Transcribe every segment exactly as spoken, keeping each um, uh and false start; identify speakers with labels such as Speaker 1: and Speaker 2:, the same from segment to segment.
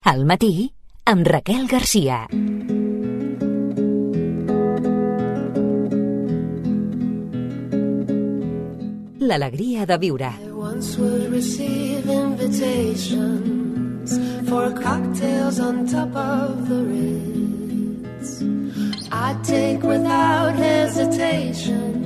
Speaker 1: Al matí, amb Raquel Garcia. L'alegria de viure.
Speaker 2: I once would receive invitations for cocktails on top of the Ritz. I'd take without hesitation.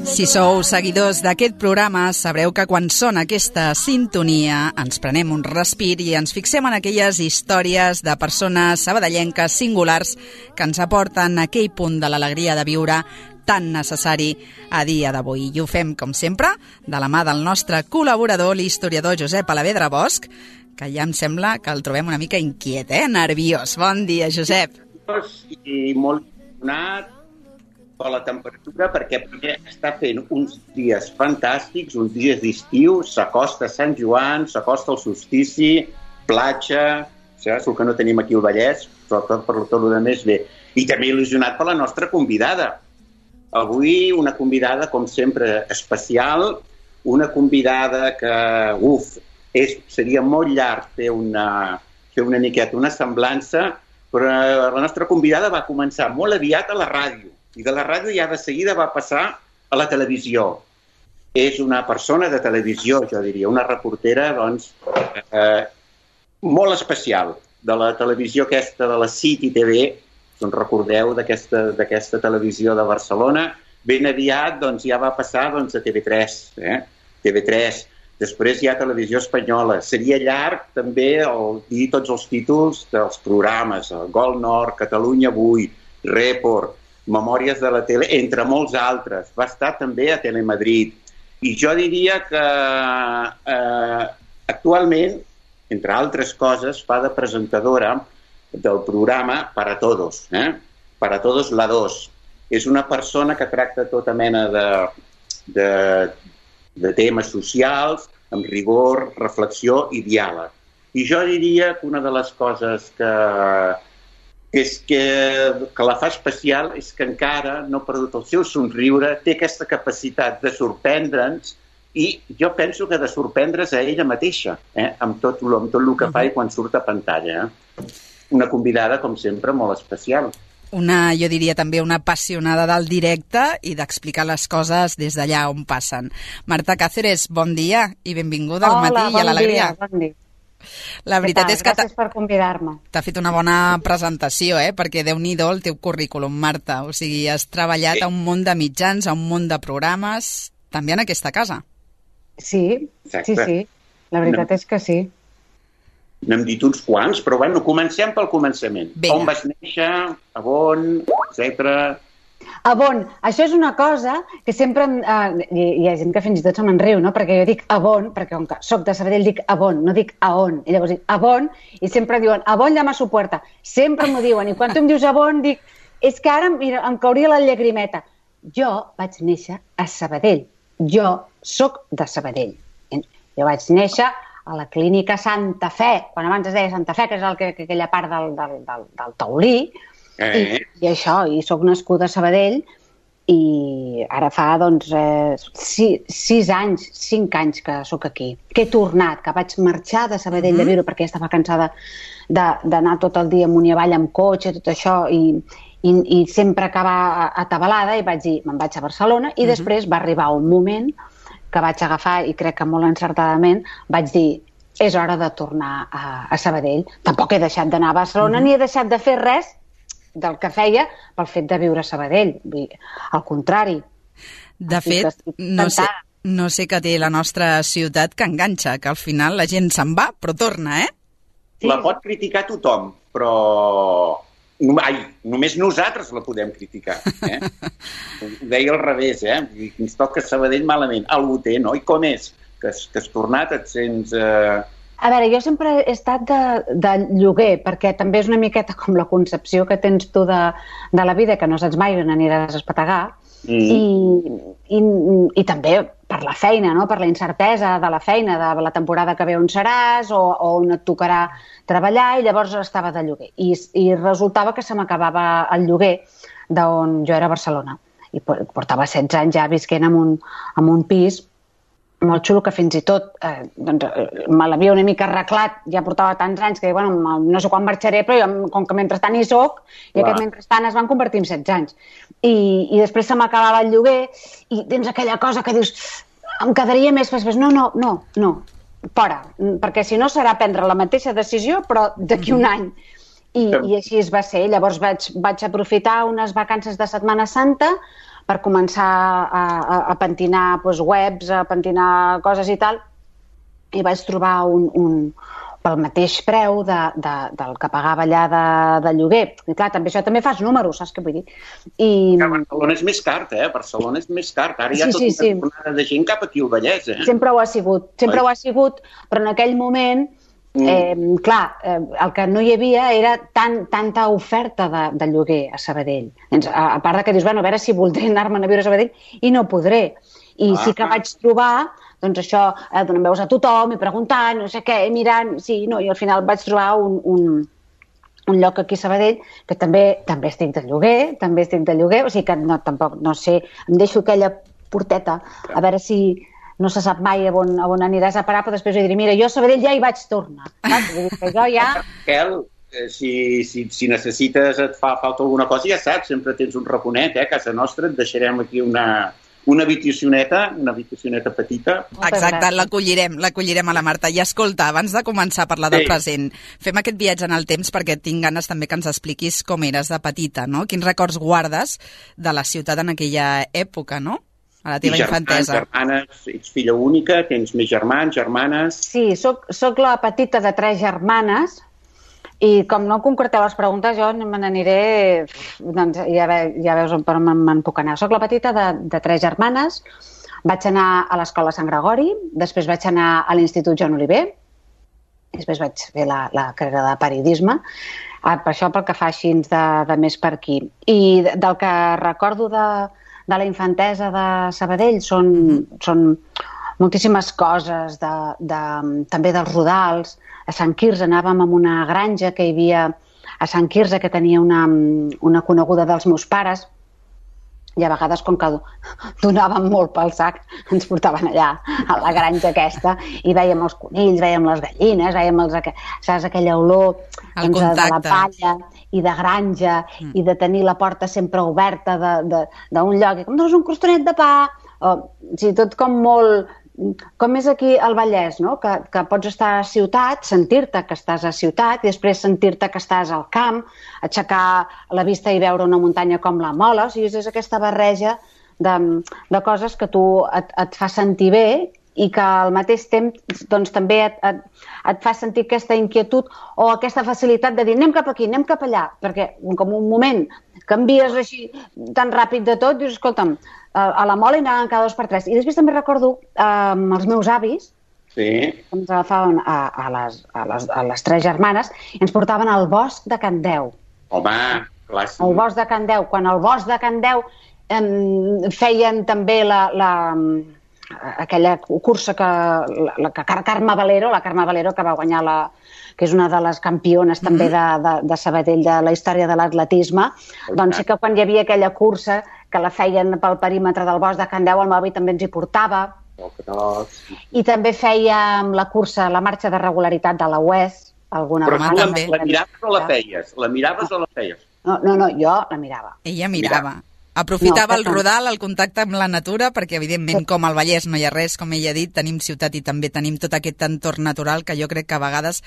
Speaker 3: Si sou seguidors d'aquest programa, sabreu que quan sona aquesta sintonia ens prenem un respir i ens fixem en aquelles històries de persones sabadellenques singulars que ens aporten aquell punt de l'alegria de viure tan necessari a dia d'avui. I ho fem, com sempre, de la mà del nostre col·laborador, l'historiador Josep Alavedra Bosch, que ja em sembla que el trobem una mica inquiet, eh? Nerviós. Bon dia, Josep.
Speaker 4: I molt donat per la temperatura, perquè està fent uns dies fantàstics, uns dies d'estiu, s'acosta Sant Joan, s'acosta el solstici, platja, saps el que no tenim aquí al Vallès, sobretot per tot el més bé. I també il·lusionat per la nostra convidada. Avui una convidada, com sempre, especial, una convidada que, uf, és, seria molt llarg fer una, fer una miqueta, una semblança, però la nostra convidada va començar molt aviat a la ràdio, i de la ràdio ja de seguida va passar a la televisió. És una persona de televisió, jo diria, una reportera, doncs, eh, molt especial, de la televisió aquesta de la City T V, doncs recordeu d'aquesta d'aquesta televisió de Barcelona. Ben aviat doncs, ja va passar doncs, a T V tres. Eh? T V tres. Després hi ha Televisió Espanyola. Seria llarg també el, dir tots els títols dels programes, el Gol Nord, Catalunya avui, Report, Memòries de la tele, entre molts altres. Va estar també a Telemadrid. I jo diria que eh, actualment, entre altres coses, fa de presentadora del programa Para Todos, eh? Para Todos la dos. És una persona que tracta tota mena de, de, de temes socials, amb rigor, reflexió i diàleg. I jo diria que una de les coses que, que, és que, que la fa especial és que encara no ha perdut el seu somriure, té aquesta capacitat de sorprendre'ns i jo penso que de sorprendre's a ella mateixa, eh? amb, tot, amb tot el que fa i quan surt a pantalla. Eh? Una convidada, com sempre, molt especial.
Speaker 3: Una, jo diria també una apassionada del directe i d'explicar les coses des d'allà on passen. Marta Cáceres, bon dia i benvinguda al matí i a l'alegria.
Speaker 5: Hola, bon dia, bon dia.
Speaker 3: La veritat és que
Speaker 5: gràcies per convidar-me.
Speaker 3: T'ha fet una bona presentació, eh? Perquè Déu-n'hi-do el teu currículum, Marta. O sigui, has treballat sí. a un munt de mitjans, a un munt de programes, també en aquesta casa.
Speaker 5: Sí, Exacte. sí, sí. La veritat no. és que sí.
Speaker 4: N'hem dit uns quants, però bueno, comencem pel començament.
Speaker 3: Vinga.
Speaker 4: On vas néixer, a on, etcètera.
Speaker 5: A on? Això és una cosa que sempre... Eh, hi, hi ha gent que fins i tot se me'n riu, no? Perquè jo dic a on, perquè com que soc de Sabadell dic a on, no dic a on. I llavors dic a on, i sempre diuen a on llama su puerta. Sempre m'ho diuen. I quan tu em dius a on, dic... És que ara mira, em cauria la llagrimeta. Jo vaig néixer a Sabadell. Jo soc de Sabadell. Jo vaig néixer a la clínica Santa Fe, quan abans es deia Santa Fe, que és el que, que, aquella part del, del, del, del taulí, eh. i, i això, i soc nascuda a Sabadell, i ara fa, doncs, eh, sis, sis anys, cinc anys que sóc aquí, que he tornat, que vaig marxar de Sabadell mm-hmm. de viure, perquè estava cansada d'anar tot el dia amunt i avall amb cotxe, tot això, i, i, i sempre acabar atabalada, i vaig dir, me'n vaig a Barcelona, i mm-hmm. després va arribar un moment que vaig agafar, i crec que molt encertadament, vaig dir, és hora de tornar a, a Sabadell. Tampoc he deixat d'anar a Barcelona, mm-hmm. ni he deixat de fer res del que feia pel fet de viure a Sabadell. Al contrari.
Speaker 3: De fet, no sé, no sé què té la nostra ciutat que enganxa, que al final la gent se'n va, però torna, eh?
Speaker 4: Sí. La pot criticar tothom, però... Ai, només nosaltres la podem criticar. Eh? Ho deia al revés, eh? Ens toca Sabadell malament. Algú té, no? I com és? Que has, que has tornat, et sents... Eh...
Speaker 5: A veure, jo sempre he estat de, de lloguer, perquè també és una miqueta com la concepció que tens tu de, de la vida, que no saps mai on aniràs a espetegar, mm. i, i, i també per la feina, no? Per la incertesa de la feina, de la temporada que ve on seràs, o, o on et tocarà treballar, i llavors estava de lloguer. I, i resultava que se m'acabava el lloguer d'on jo era a Barcelona. I portava setze anys ja visquent en un, en un pis molt xulo, que fins i tot eh, doncs, me l'havia una mica arreglat, ja portava tants anys que bueno, no sé quan marxaré, però jo, com que mentrestant hi soc, i Clar. aquest mentrestant es van convertir en setze anys. I, i després se m'acabava el lloguer i tens aquella cosa que dius em quedaria més, després, no, no, no, no, fora, perquè si no serà prendre la mateixa decisió, però d'aquí un any. I, i així es va ser. Llavors vaig, vaig aprofitar unes vacances de Setmana Santa per començar a, a, a pentinar doncs, webs, a pentinar coses i tal, i vaig trobar un, un pel mateix preu de, de, del que pagava allà de, de lloguer. I clar, també això també fas números, saps què vull dir? I...
Speaker 4: Que Barcelona és més car, eh? Barcelona és més car. Ara hi ha sí, tota sí, una sí. de gent cap aquí al Vallès, eh?
Speaker 5: Sempre ho ha sigut, sempre Oi. ho ha sigut, però en aquell moment Eh, clar, eh, el que no hi havia era tan, tanta oferta de, de lloguer a Sabadell. Doncs, a, a part de que dius, bueno, a veure si voldré anar-me'n a viure a Sabadell i no podré. I ah, sí que vaig trobar, doncs això, eh, donant veus a tothom i preguntant, no sé què, mirant, sí, no, i al final vaig trobar un, un, un lloc aquí a Sabadell que també també estic de lloguer, també estic de lloguer, o sigui que no, tampoc, no sé, em deixo aquella porteta, a veure si... no se sap mai a on, a on aniràs a parar, però després jo diré, mira, jo a Sabadell ja hi vaig tornar. Saps? Vull dir que jo ja...
Speaker 4: Raquel, si, si, si necessites, et fa falta alguna cosa, ja saps, sempre tens un raconet, eh? A casa nostra et deixarem aquí una, una habitacioneta, una habitacioneta petita.
Speaker 3: Exacte, l'acollirem, l'acollirem a la Marta. I escolta, abans de començar a parlar del sí. present, fem aquest viatge en el temps perquè tinc ganes també que ens expliquis com eres de petita, no? Quins records guardes de la ciutat en aquella època, no? A la teva
Speaker 4: germans,
Speaker 3: infantesa.
Speaker 4: Germanes, ets filla única, tens més germans, germanes...
Speaker 5: Sí, soc, soc la petita de tres germanes i com no concreteu les preguntes jo me n'aniré... Doncs ja, ve, ja veus on me'n puc anar. Soc la petita de, de tres germanes, vaig anar a l'escola Sant Gregori, després vaig anar a l'Institut Joan Oliver, després vaig fer la, la carrera de periodisme, per això pel que fa així de, de més per aquí. I del que recordo de... de la infantesa de Sabadell són, són moltíssimes coses, de, de, també dels Rodals. A Sant Quirze anàvem a una granja que hi havia a Sant Quirze, que tenia una, una coneguda dels meus pares, i a vegades, com que donàvem molt pel sac, ens portaven allà a la granja aquesta i vèiem els conills, vèiem les gallines, vèiem els, saps, aquella olor doncs, de la palla i de granja mm. i de tenir la porta sempre oberta d'un lloc, i com doncs un crostonet de pa, o, o sigui, tot com molt... Com és aquí al Vallès, no? que, que pots estar a ciutat, sentir-te que estàs a ciutat i després sentir-te que estàs al camp, aixecar la vista i veure una muntanya com la Mola. O sigui, és aquesta barreja de, de coses que tu et, et fa sentir bé i que al mateix temps doncs, també et, et, et fa sentir aquesta inquietud o aquesta facilitat de dir anem cap aquí, anem cap allà, perquè com un moment canvies així tan ràpid de tot, dius, escolta'm, a la Mola hi anàvem cada dos per tres. I després també recordo eh, els meus avis,
Speaker 4: sí.
Speaker 5: que ens agafaven a, a, les, a, les, a les tres germanes i ens portaven al bosc de Can Deu.
Speaker 4: Home, clàssic.
Speaker 5: Al bosc de Can Deu. Quan al bosc de Can Deu eh, feien també la, la, aquella cursa que, la, la que Carme Valero, la Carme Valero que va guanyar la, que és una de les campiones també de, de, de Sabadell de la història de l'atletisme, doncs sí que quan hi havia aquella cursa que la feien pel perímetre del bosc de Can Deu, el meu avi també ens hi portava.
Speaker 4: Oh,
Speaker 5: I també fèiem la cursa, la marxa de regularitat de la U E S. Alguna
Speaker 4: Però
Speaker 5: vegada.
Speaker 4: també. La miraves o la feies? La miraves no. o la feies?
Speaker 5: No, no, no, jo la mirava.
Speaker 3: Ella mirava. Aprofitava no, el rodal, el contacte amb la natura, perquè evidentment com al Vallès no hi ha res, com ella ha dit, tenim ciutat i també tenim tot aquest entorn natural que jo crec que a vegades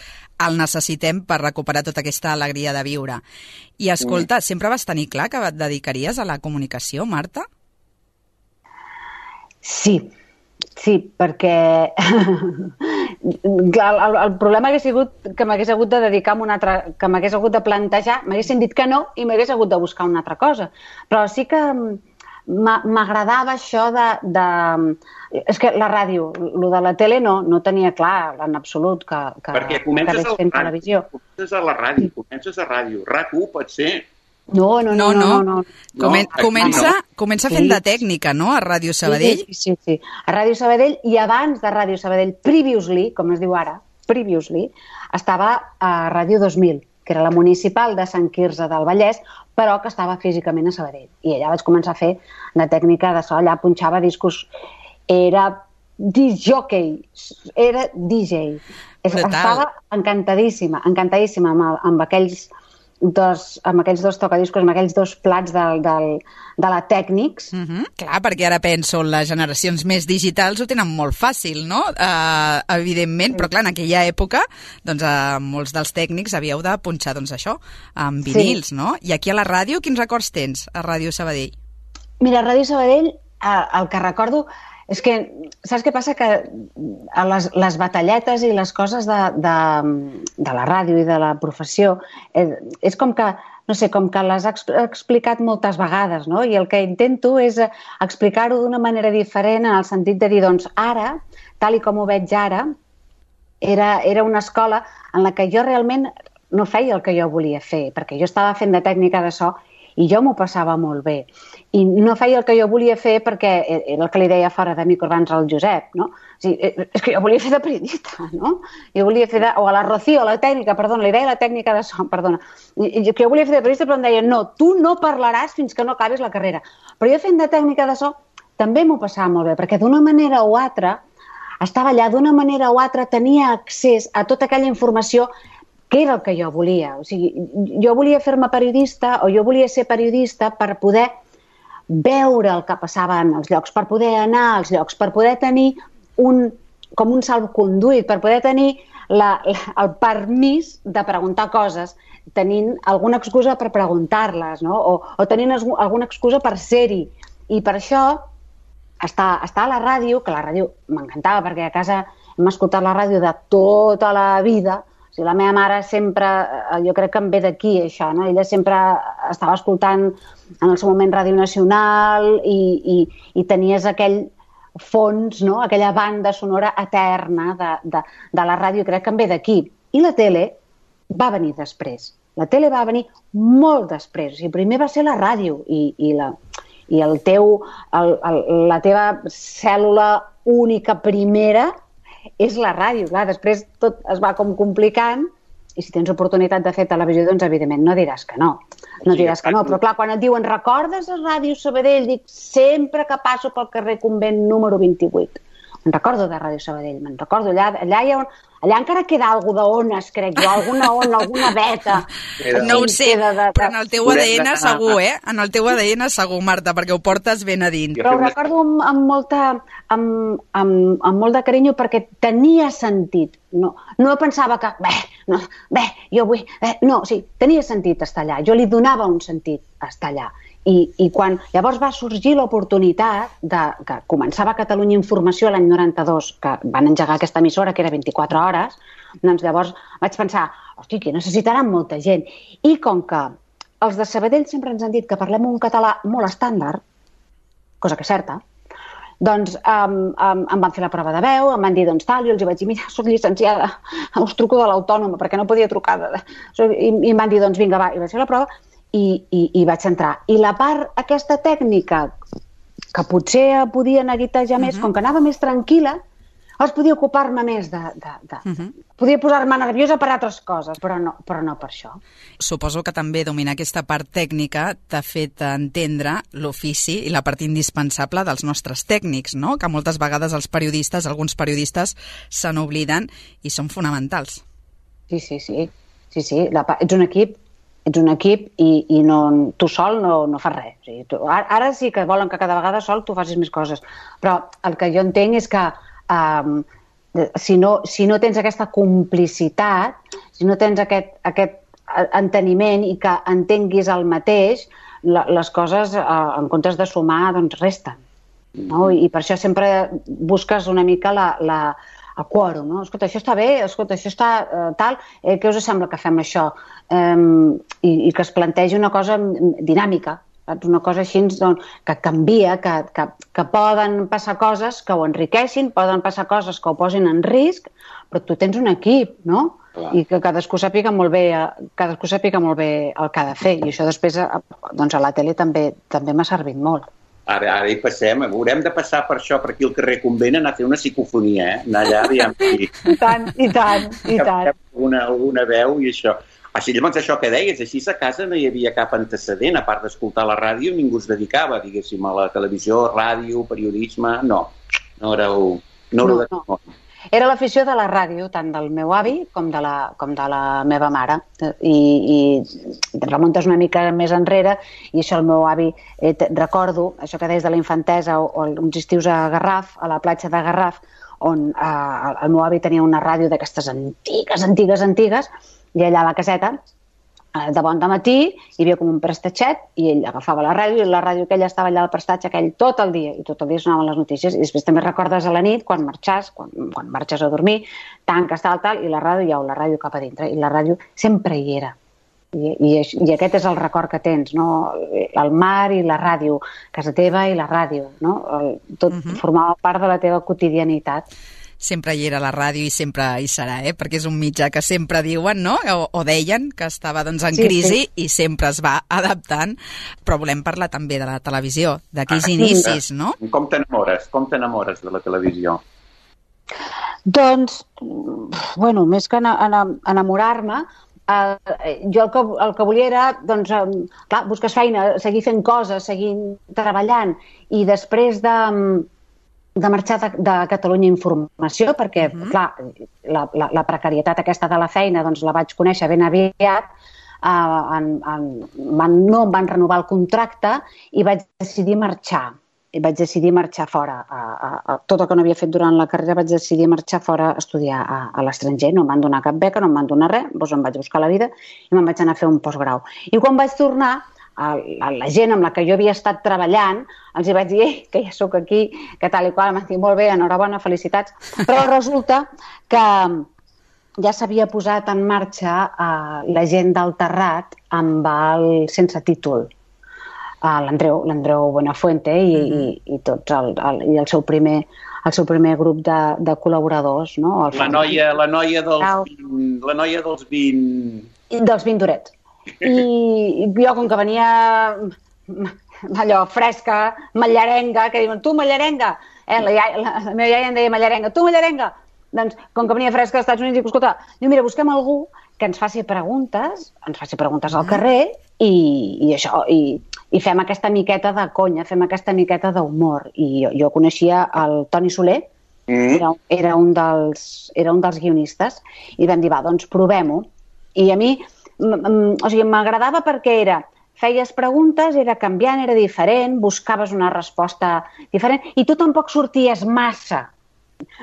Speaker 3: el necessitem per recuperar tota aquesta alegria de viure. I escolta, mm. sempre vas tenir clar que et dedicaries a la comunicació, Marta?
Speaker 5: Sí, sí, perquè Clar, el, el problema hagués sigut que m'hagués hagut de dedicar a una altra, que m'hagués hagut de plantejar, m'haguessin dit que no i m'hagués hagut de buscar una altra cosa. Però sí que m'agradava això de, de... És que la ràdio, el de la tele no, no tenia clar en absolut que, que,
Speaker 4: Perquè comences
Speaker 5: que fent televisió.
Speaker 4: Comences a la ràdio, comences a ràdio. RAC u pot ser...
Speaker 5: No, no, no, no. no, no.
Speaker 3: Comen comença, comença fent de tècnica, no?, a Ràdio Sabadell.
Speaker 5: Sí, sí, sí, a Ràdio Sabadell, i abans de Ràdio Sabadell, previously, com es diu ara, previously, estava a Ràdio dos mil, que era la municipal de Sant Quirze del Vallès, però que estava físicament a Sabadell. I allà vaig començar a fer de tècnica de so, allà punxava discos. Era disc-jockey, era D J.
Speaker 3: Brutal.
Speaker 5: Estava encantadíssima, encantadíssima amb, amb aquells dos, amb aquells dos tocadiscos, amb aquells dos plats del, del, de la Tècnics.
Speaker 3: Uh -huh. Clar, perquè ara penso, les generacions més digitals ho tenen molt fàcil, no? Uh, evidentment, però clar, en aquella època, doncs uh, molts dels tècnics havíeu de punxar, doncs això, amb vinils, sí. no? I aquí a la ràdio, quins records tens a Ràdio Sabadell?
Speaker 5: Mira, a Ràdio Sabadell, eh, el que recordo és que, saps què passa? Que les, les batalletes i les coses de, de, de la ràdio i de la professió, eh, és com que, no sé, com que les he explicat moltes vegades, no? I el que intento és explicar-ho d'una manera diferent, en el sentit de dir, doncs, ara, tal i com ho veig ara, era, era una escola en la que jo realment no feia el que jo volia fer, perquè jo estava fent de tècnica de so i jo m'ho passava molt bé. I no feia el que jo volia fer perquè era el que li deia fora de micro abans al Josep, no? O sigui, és que jo volia fer de periodista, no? Jo volia fer de... O a la Rocío, a la tècnica, perdona, li deia la tècnica de so, perdona. I, que jo volia fer de periodista, però em deia, no, tu no parlaràs fins que no acabis la carrera. Però jo fent de tècnica de so també m'ho passava molt bé, perquè d'una manera o altra estava allà, d'una manera o altra tenia accés a tota aquella informació que era el que jo volia. O sigui, jo volia fer-me periodista o jo volia ser periodista per poder veure el que passava en els llocs, per poder anar als llocs, per poder tenir un, com un salvoconduit, per poder tenir la, la, el permís de preguntar coses, tenint alguna excusa per preguntar-les, no? o, o tenint alguna excusa per ser-hi. I per això estar, estar a la ràdio, que la ràdio m'encantava perquè a casa hem escoltat la ràdio de tota la vida. O sigui, la meva mare sempre, jo crec que em ve d'aquí això, no? Ella sempre estava escoltant en el seu moment Ràdio Nacional i, i, i tenies aquell fons, no? Aquella banda sonora eterna de, de, de la ràdio, crec que em ve d'aquí. I la tele va venir després. La tele va venir molt després. O sigui, primer va ser la ràdio i, i, la, i el teu, el, el, la teva cèl·lula única primera és la ràdio, clar, després tot es va com complicant i si tens oportunitat de fer televisió, doncs evidentment no diràs que no, no diràs que no, però clar, quan et diuen recordes a Ràdio Sabadell, dic sempre que passo pel carrer Convent número vint-i-vuit, me'n recordo de Ràdio Sabadell, me'n recordo allà, allà hi ha un, allà encara queda alguna d'ones, crec jo, alguna ona, alguna veta.
Speaker 3: No ho sé, de, de, però en el teu A D N segur, eh? En el teu A D N segur, Marta, perquè ho portes ben a dins.
Speaker 5: Però ho recordo amb, amb, molta, amb, amb, amb molt de carinyo perquè tenia sentit. No, no pensava que, bé, no, bé, jo vull... Eh, no, sí, tenia sentit estar allà. Jo li donava un sentit a estar allà. I, i quan llavors va sorgir l'oportunitat de que començava Catalunya Informació l'any noranta-dos, que van engegar aquesta emissora, que era vint-i-quatre hores, doncs llavors vaig pensar, hosti, que necessitaran molta gent. I com que els de Sabadell sempre ens han dit que parlem un català molt estàndard, cosa que és certa, doncs um, um, em van fer la prova de veu, em van dir, doncs tal, i els vaig dir, mira, soc llicenciada, us truco de l'Autònoma, perquè no podia trucar. De... I, I em van dir, doncs vinga, va, i vaig fer la prova, I, i, i vaig entrar. I la part aquesta tècnica, que potser podia neguitejar més, uh-huh. com que anava més tranquil·la, llavors podia ocupar-me més de... de, de uh-huh. Podia posar-me nerviosa per altres coses, però no, però no per això.
Speaker 3: Suposo que també dominar aquesta part tècnica t'ha fet entendre l'ofici i la part indispensable dels nostres tècnics, no? Que moltes vegades els periodistes, alguns periodistes, se n'obliden i són fonamentals.
Speaker 5: Sí, sí, sí. sí, sí. La, ets un equip ets un equip i, i no, tu sol no, no fas res. O sigui, tu, ara, ara sí que volen que cada vegada sol tu facis més coses, però el que jo entenc és que um, si, no, si no tens aquesta complicitat, si no tens aquest, aquest enteniment i que entenguis el mateix, la, les coses, uh, en comptes de sumar, doncs resten. No? I, I per això sempre busques una mica la... la el quòrum, no? Escolta, això està bé, escolta, això està uh, tal, eh, què us sembla que fem això? Um, i, I que es plantegi una cosa dinàmica, saps? Una cosa així doncs, que canvia, que, que, que poden passar coses que ho enriqueixin, poden passar coses que ho posin en risc, però tu tens un equip, no? Clar. I que cadascú sàpiga molt bé, cadascú sàpiga molt bé el que ha de fer, i això després doncs, a la tele també, també m'ha servit molt.
Speaker 4: Ara, ara hi passem, haurem de passar per això, per aquí al carrer Convent, anar a fer una psicofonia, eh? Anar allà, aviam. I,
Speaker 5: I tant, i tant, i tant.
Speaker 4: Alguna, alguna veu i això. Així, llavors, això que deies, així a casa no hi havia cap antecedent, a part d'escoltar la ràdio, ningú es dedicava, diguéssim, a la televisió, ràdio, periodisme, no. No éreu, No,
Speaker 5: no,
Speaker 4: de...
Speaker 5: no. Era l'afició de la ràdio, tant del meu avi com de la, com de la meva mare. I, i te remuntes una mica més enrere, i això el meu avi, eh, recordo, això que deies de la infantesa, o, o uns estius a Garraf, a la platja de Garraf, on eh, el meu avi tenia una ràdio d'aquestes antigues, antigues, antigues, i allà a la caseta, de bon de matí, hi havia com un prestatxet, i ell agafava la ràdio, i la ràdio aquella estava allà al prestatge aquell tot el dia, i tot el dia sonaven les notícies, i després també recordes a la nit, quan marxes, quan, quan marxes a dormir, tanques tal, tal, i la ràdio, ja, la ràdio cap a dintre, i la ràdio sempre hi era. I, i, i aquest és el record que tens, no? El mar i la ràdio, casa teva i la ràdio, no? El, tot uh-huh. formava part de la teva quotidianitat.
Speaker 3: Sempre hi era la ràdio i sempre hi serà, eh? Perquè és un mitjà que sempre diuen, no? O, o deien que estava doncs, en sí, crisi sí. i sempre es va adaptant, però volem parlar també de la televisió, d'aquells ah, inicis, no?
Speaker 4: Com t'enamores? Com t'enamores de la televisió?
Speaker 5: Doncs, bueno, més que enamorar-me, eh, jo el que, el que volia era, doncs, eh, clar, busques feina, seguir fent coses, seguir treballant, i després de... de marxar de, de Catalunya Informació, perquè, uh-huh. clar, la, la, la precarietat aquesta de la feina doncs la vaig conèixer ben aviat, uh, en, en, van, no em van renovar el contracte i vaig decidir marxar. I vaig decidir marxar fora. A, a, a, tot el que no havia fet durant la carrera vaig decidir marxar fora a estudiar a, a l'estranger. No em van donar cap beca, no em van donar res, doncs em vaig buscar la vida i me'n vaig anar a fer un postgrau. I quan vaig tornar, a la gent amb la que jo havia estat treballant, els hi vaig dir eh, que ja sóc aquí, que tal i qual, em van dir molt bé, enhorabona, felicitats, però resulta que ja s'havia posat en marxa uh, la gent del Terrat amb el sense títol, uh, l'Andreu, l'Andreu Buenafuente i, mm-hmm. i, i tots el, el, i el seu primer el seu primer grup de, de col·laboradors, no? El
Speaker 4: la, noia, la, noia dels vint, la noia dels vint...
Speaker 5: Dels vint durets. I jo, com que venia allò fresca, mallarenga, que diuen, tu mallarenga, eh, la, iaia, la, la meva iaia em deia mallarenga, tu mallarenga, doncs com que venia fresca als Estats Units, dic, escolta, diu, mira, busquem algú que ens faci preguntes, ens faci preguntes al carrer i, i això, i, i fem aquesta miqueta de conya, fem aquesta miqueta d'humor. I jo, jo coneixia el Toni Soler, mm. era, era, un dels, era un dels guionistes, i vam dir, va, doncs provem-ho. I a mi, o sigui, m'agradava perquè era, feies preguntes, era canviant, era diferent, buscaves una resposta diferent, i tu tampoc sorties massa.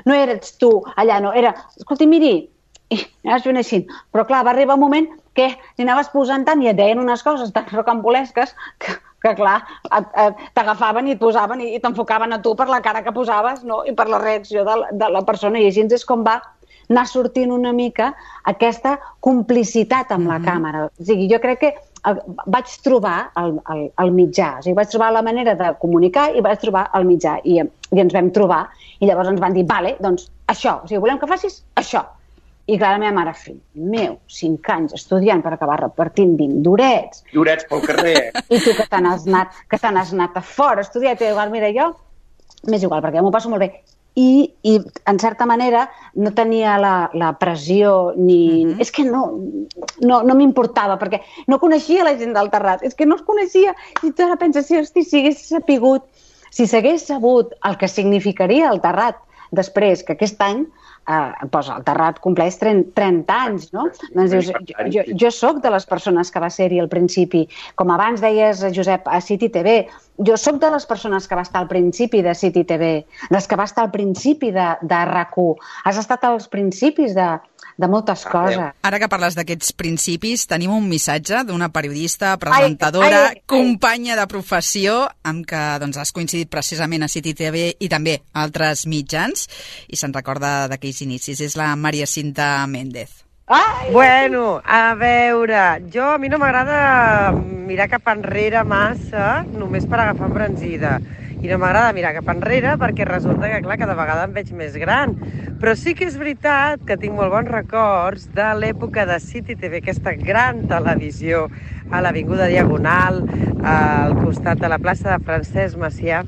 Speaker 5: No eres tu allà, no, era, escolti, miri, i anaves fent així. Però clar, va arribar un moment que li anaves posant tant i et deien unes coses tan rocambolesques que, que clar, t'agafaven i et posaven i t'enfocaven a tu per la cara que posaves, no? I per la reacció de la, de la persona, i així és com va anar sortint una mica aquesta complicitat amb la mm-hmm. càmera. O sigui, jo crec que el, vaig trobar el, el, el mitjà, o sigui, vaig trobar la manera de comunicar i vaig trobar el mitjà, i, i ens vam trobar, i llavors ens van dir, vale, doncs això, o sigui, volem que facis això. I clar, la meva mare, fill meu, cinc anys estudiant per acabar repartint vint durets.
Speaker 4: Durets pel carrer.
Speaker 5: I tu que te n'has anat, que te n'has anat a fora a estudiar, i igual, mira, jo, m'és igual, perquè m'ho passo molt bé. I, i en certa manera no tenia la, la pressió ni... Mm-hmm. És que no, no, no m'importava, perquè no coneixia la gent del Terrat, és que no es coneixia, i tu ara penses, si, hosti, si hagués sapigut, si s'hagués sabut el que significaria el Terrat després, que aquest any eh, doncs el Terrat compleix trenta anys, no? Doncs dius, jo, jo, jo soc de les persones que va ser-hi al principi, com abans deies, Josep, a City T V, jo sóc de les persones que va estar al principi de City T V, les que va estar al principi de, de R A C u, has estat als principis de, de moltes coses.
Speaker 3: Ara que parles d'aquests principis, tenim un missatge d'una periodista, presentadora, ai, ai, ai. companya de professió, amb què doncs, has coincidit precisament a City T V i també a altres mitjans, i se'n recorda d'aquells inicis. És la Maria Cinta Méndez.
Speaker 6: Ai, bueno, a veure, jo a mi no m'agrada mirar cap enrere massa, només per agafar embranzida. I no m'agrada mirar cap enrere perquè resulta que, clar, cada vegada em veig més gran. Però sí que és veritat que tinc molt bons records de l'època de City T V, aquesta gran televisió a l'Avinguda Diagonal, al costat de la plaça de Francesc Macià,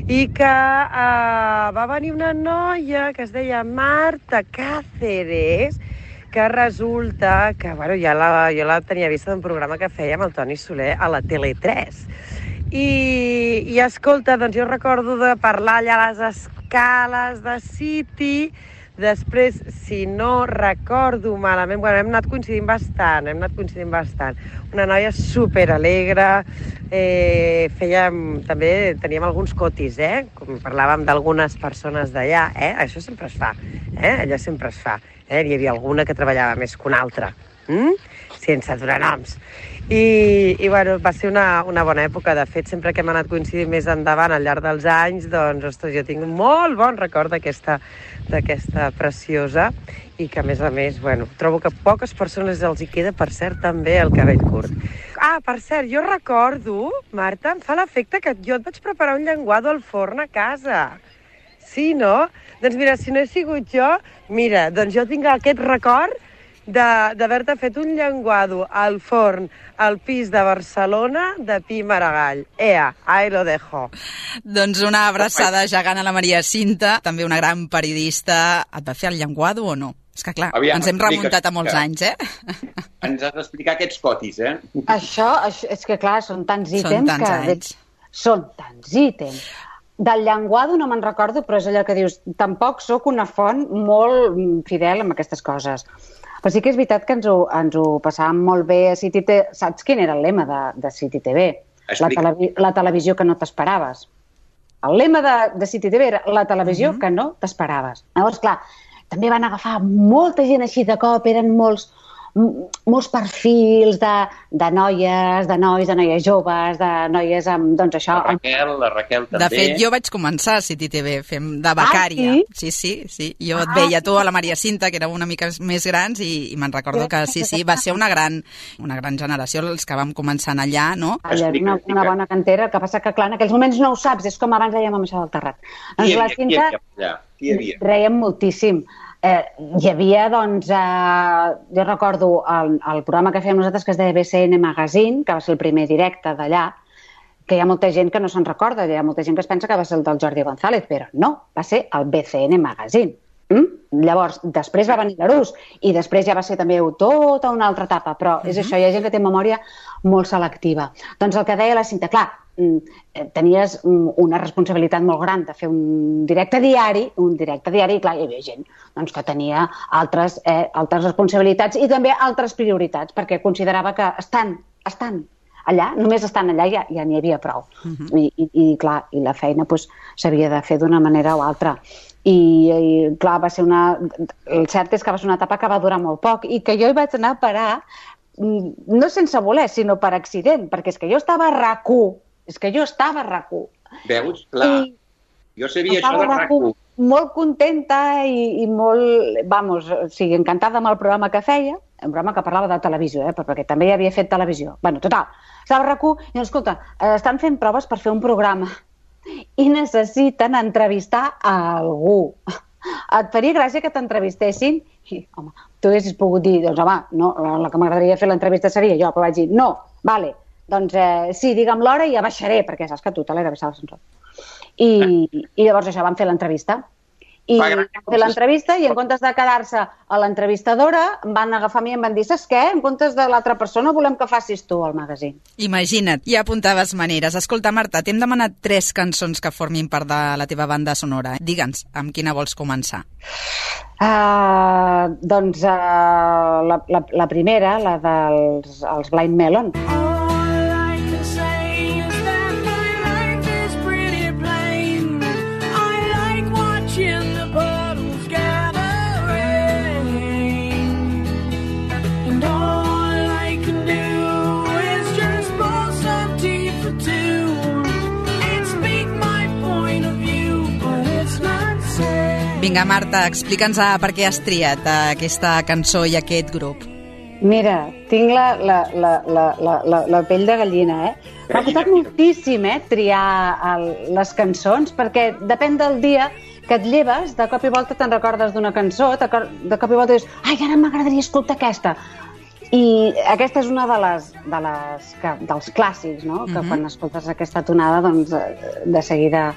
Speaker 6: i que eh, va venir una noia que es deia Marta Cáceres, que resulta que, bueno, ja la, jo la tenia vista d'un programa que feia amb el Toni Soler a la Tele tres. I, i escolta, doncs jo recordo de parlar allà a les Scales de City. Després, si no recordo malament, bueno, hem anat coincidint bastant, hem anat coincidint bastant. Una noia superalegre, eh, fèiem, també teníem alguns cotis, eh? Com parlàvem d'algunes persones d'allà, eh? Això sempre es fa, eh? Allò sempre es fa. Eh? Hi havia alguna que treballava més que una altra, hm? Sense donar noms. I, i bueno, va ser una, una bona època. De fet, sempre que hem anat coincidint més endavant al llarg dels anys, doncs, ostres, jo tinc un molt bon record d'aquesta d'aquesta preciosa i que, a més a més, bueno, trobo que poques persones els hi queda, per cert, també el cabell curt. Ah, per cert, jo recordo, Marta, em fa l'efecte que jo et vaig preparar un llenguado al forn a casa. Sí, no? Doncs mira, si no he sigut jo, mira, doncs jo tinc aquest record d'haver-te fet un llenguado al forn al pis de Barcelona de Pi Maragall. Ea, ahí lo dejo.
Speaker 3: Doncs una abraçada gegant a la Maria Cinta, també una gran periodista. Et va fer el llenguado o no? És que clar, Aviam, ens hem remuntat a molts anys, eh?
Speaker 4: Ens has d'explicar aquests cotis, eh?
Speaker 5: Això, això és que clar, són tants ítems
Speaker 3: són tants
Speaker 5: que...
Speaker 3: anys.
Speaker 5: Són tants ítems. Del llenguado no me'n recordo, però és allò que dius, tampoc sóc una font molt fidel amb aquestes coses. Però sí que és veritat que ens ho, ens ho passàvem molt bé a City T V. Saps quin era el lema de, de City T V? La, televi la televisió que no t'esperaves. El lema de, de City T V era la televisió uh-huh. que no t'esperaves. Llavors, clar, també van agafar molta gent així de cop, eren molts, molts perfils de, de noies, de nois, de noies joves, de noies amb, doncs això...
Speaker 4: La Raquel, la Raquel també.
Speaker 3: De fet, jo vaig començar a City T V fem de becària. Ah, sí? Sí, sí, sí. Jo et veia tu a la Maria Cinta, que era una mica més grans, i, i me'n recordo que sí, sí, va ser una gran, una gran generació els que vam començar allà, no?
Speaker 5: Allà és una, una bona cantera, el que passa que, clar, en aquells moments no ho saps, és com abans dèiem amb això del terrat. Doncs la Cinta reiem moltíssim. Eh, hi havia, doncs, eh, jo recordo el, el programa que fèiem nosaltres que es deia B C N Magazine, que va ser el primer directe d'allà, que hi ha molta gent que no se'n recorda, hi ha molta gent que es pensa que va ser el del Jordi González, però no, va ser el B C N Magazine. Mm? Llavors, després va venir l'Arús i després ja va ser també tota una altra etapa, però és uh-huh. això, hi ha gent que té memòria molt selectiva. Doncs el que deia la Cinta, clar, tenies una responsabilitat molt gran de fer un directe diari, un directe diari, i clar, hi havia gent doncs, que tenia altres, eh, altres responsabilitats i també altres prioritats, perquè considerava que estan, estan allà, només estan allà ja ja n'hi havia prou. Uh-huh. I, i, i clar, i la feina doncs, s'havia de fer d'una manera o altra. I, i clar, va ser una... El cert és que va ser una etapa que va durar molt poc i que jo hi vaig anar a parar no sense voler, sinó per accident, perquè és que jo estava a RAC u, és que jo estava a RAC u.
Speaker 4: Veus? Clar, I jo sabia això de RAC u.
Speaker 5: Molt contenta i, i molt, vamos, o sigui, encantada amb el programa que feia, un programa que parlava de televisió, eh, perquè també hi havia fet televisió. Bueno, total, estava a RAC u i, escolta, estan fent proves per fer un programa i necessiten entrevistar a algú. Et faria gràcia que t'entrevistessin? I, home, tu haguessis pogut dir, doncs, home, no, la que m'agradaria fer l'entrevista seria jo, però vaig dir, no, vale, doncs eh, sí, digue'm l'hora i ja baixaré, perquè saps que tu te l'he d'avisar a l'ascensor. I, I llavors això, vam fer l'entrevista. I vam fer l'entrevista i en comptes de quedar-se a l'entrevistadora, em van agafar a mi i em van dir, saps què? En comptes de l'altra persona volem que facis tu el magazín.
Speaker 3: Imagina't, ja apuntaves maneres. Escolta, Marta, t'hem demanat tres cançons que formin part de la teva banda sonora. Digue'ns, amb quina vols començar?
Speaker 5: Uh, doncs uh, la, la, la primera, la dels els Blind Melon.
Speaker 3: Vinga, Marta, explica'ns per què has triat aquesta cançó i aquest grup.
Speaker 5: Mira, tinc la, la, la, la, la, la pell de gallina, eh? M'ha costat moltíssim, eh, triar el, les cançons, perquè depèn del dia que et lleves, de cop i volta te'n recordes d'una cançó, de cop i volta dius, ai, ara m'agradaria escoltar aquesta. I aquesta és una de les, de les que, dels clàssics, no? Que uh-huh. quan escoltes aquesta tonada, doncs, de seguida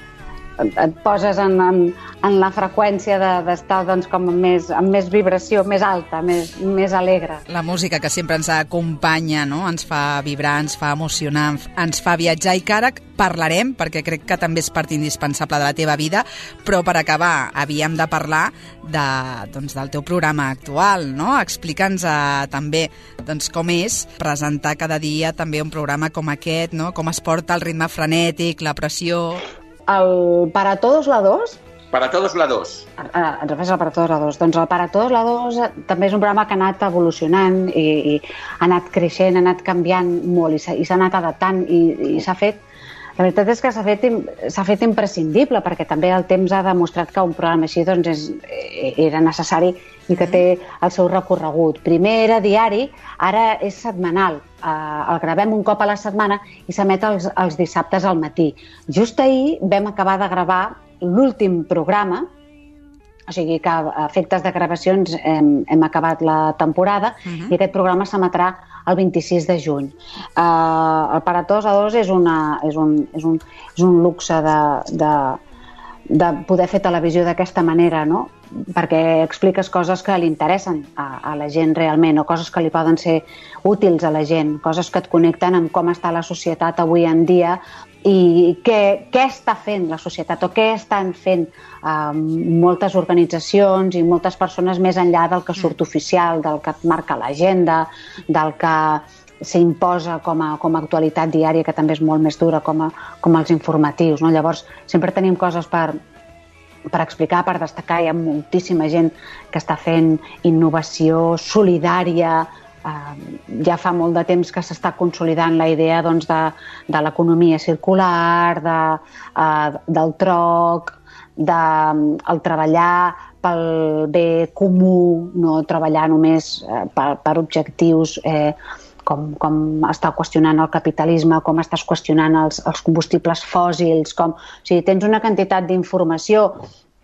Speaker 5: et poses en, en, en la freqüència d'estar de, doncs, com amb més, amb més vibració, més alta, més, més alegre.
Speaker 3: La música que sempre ens acompanya, no? Ens fa vibrar, ens fa emocionar, ens fa viatjar, i que ara parlarem, perquè crec que també és part indispensable de la teva vida, però per acabar havíem de parlar de, doncs, del teu programa actual, no? Explica'ns eh, també doncs, com és presentar cada dia també un programa com aquest, no? Com es porta el ritme frenètic, la pressió...
Speaker 5: El Para Todos la dos...
Speaker 4: Para Todos la dos.
Speaker 5: Ah, ens refers al Para Todos la dos. Doncs el Para Todos la dos també és un programa que ha anat evolucionant i, i ha anat creixent, ha anat canviant molt i s'ha anat adaptant i, i s'ha fet... La veritat és que s'ha fet, s'ha fet imprescindible, perquè també el temps ha demostrat que un programa així doncs, és, era necessari i que té el seu recorregut. Primer era diari, ara és setmanal. Uh, el gravem un cop a la setmana i s'emet els, els dissabtes al matí. Just ahir vam acabar de gravar l'últim programa, o sigui que a efectes de gravacions hem, hem acabat la temporada uh-huh. i aquest programa s'emetrà el vint-i-sis de juny. Uh, el Para Todos a dos és, una, és, un, és, un, és un luxe de, de, de poder fer televisió d'aquesta manera, no? Perquè expliques coses que li interessen a, a la gent realment, o coses que li poden ser útils a la gent, coses que et connecten amb com està la societat avui en dia i què, què està fent la societat o què estan fent uh, moltes organitzacions i moltes persones més enllà del que surt oficial, del que et marca l'agenda, del que s'imposa com a, com a actualitat diària, que també és molt més dura, com, a, com els informatius, no? Llavors, sempre tenim coses per, per explicar, per destacar. Hi ha moltíssima gent que està fent innovació solidària. Uh, ja fa molt de temps que s'està consolidant la idea doncs, de, de l'economia circular, de, uh, del troc, de um, el treballar pel bé comú, no treballar només uh, per, per objectius eh, com, com està qüestionant el capitalisme, com estàs qüestionant els, els combustibles fòssils, com, o sigui, tens una quantitat d'informació